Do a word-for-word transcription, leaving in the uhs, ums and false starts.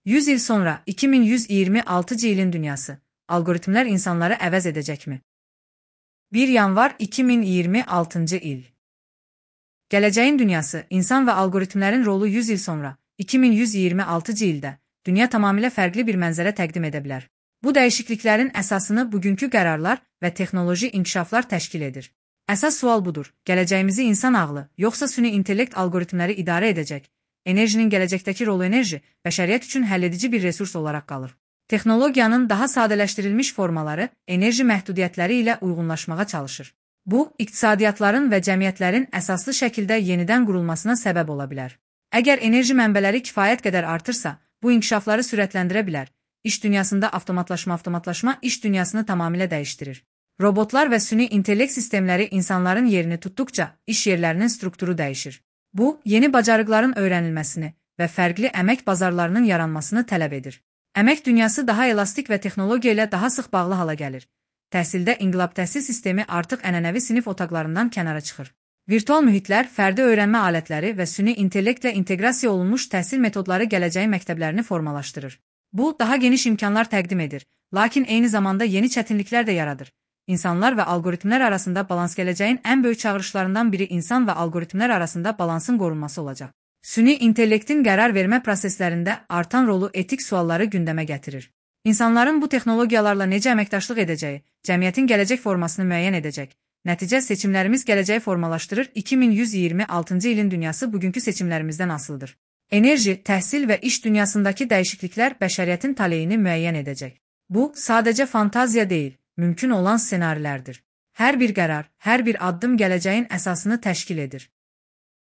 yüz il sonra iki min yüz iyirmi altıncı ilin dünyası. Algoritmler insanları əvəz edəcəkmi? bir yanvar iki min iyirmi altıncı il. Gələcəyin dünyası, insan və algoritmlərin rolu yüz il sonra, iki min yüz iyirmi altıncı ildə, dünya tamamilə fərqli bir mənzərə təqdim edə bilər. Bu dəyişikliklərin əsasını bugünkü qərarlar və texnoloji inkişaflar təşkil edir. Əsas sual budur: gələcəyimizi insan ağlı, yoxsa süni intellekt algoritmləri idarə edəcək? Enerjinin gələcəkdəki rolu enerji, bəşəriyyət üçün həlledici bir resurs olaraq qalır. Texnologiyanın daha sadələşdirilmiş formaları enerji məhdudiyyətləri ilə uyğunlaşmağa çalışır. Bu, iqtisadiyyatların və cəmiyyətlərin əsaslı şəkildə yenidən qurulmasına səbəb ola bilər. Əgər enerji mənbələri kifayət qədər artırsa, bu inkişafları sürətləndirə bilər. İş dünyasında avtomatlaşma avtomatlaşma iş dünyasını tamamilə dəyişdirir. Robotlar və süni intellekt sistemləri insanların yerini tutduqca iş yerlərinin strukturu dəyişir. Bu, yeni bacarıqların öyrənilməsini və fərqli əmək bazarlarının yaranmasını tələb edir. Əmək dünyası daha elastik və texnologiya ilə daha sıx bağlı hala gəlir. Təhsildə inqilab təhsil sistemi artıq ənənəvi sinif otaqlarından kənara çıxır. Virtual mühitlər, fərdi öyrənmə alətləri və süni intellektlə inteqrasiya olunmuş təhsil metodları gələcəyin məktəblərini formalaşdırır. Bu, daha geniş imkanlar təqdim edir, lakin eyni zamanda yeni çətinliklər də yaradır. İnsanlar və algoritmlər arasında balans gələcəyin ən böyük çağırışlarından biri insan və algoritmlər arasında balansın qorunması olacaq. Süni intellektin qərar vermə proseslərində artan rolu etik sualları gündəmə gətirir. İnsanların bu texnologiyalarla necə əməkdaşlıq edəcəyi, cəmiyyətin gələcək formasını müəyyən edəcək. Nəticə, seçimlərimiz gələcəyi formalaşdırır. iki min yüz iyirmi altıncı ilin dünyası bugünkü seçimlərimizdən asılıdır. Enerji, təhsil və iş dünyasındakı dəyişikliklər bəşəriyyətin taleyini müəyyən edəcək. Bu, sadəcə fantaziya deyil, mümkün olan ssenarilərdir. Hər bir qərar, hər bir addım gələcəyin əsasını təşkil edir.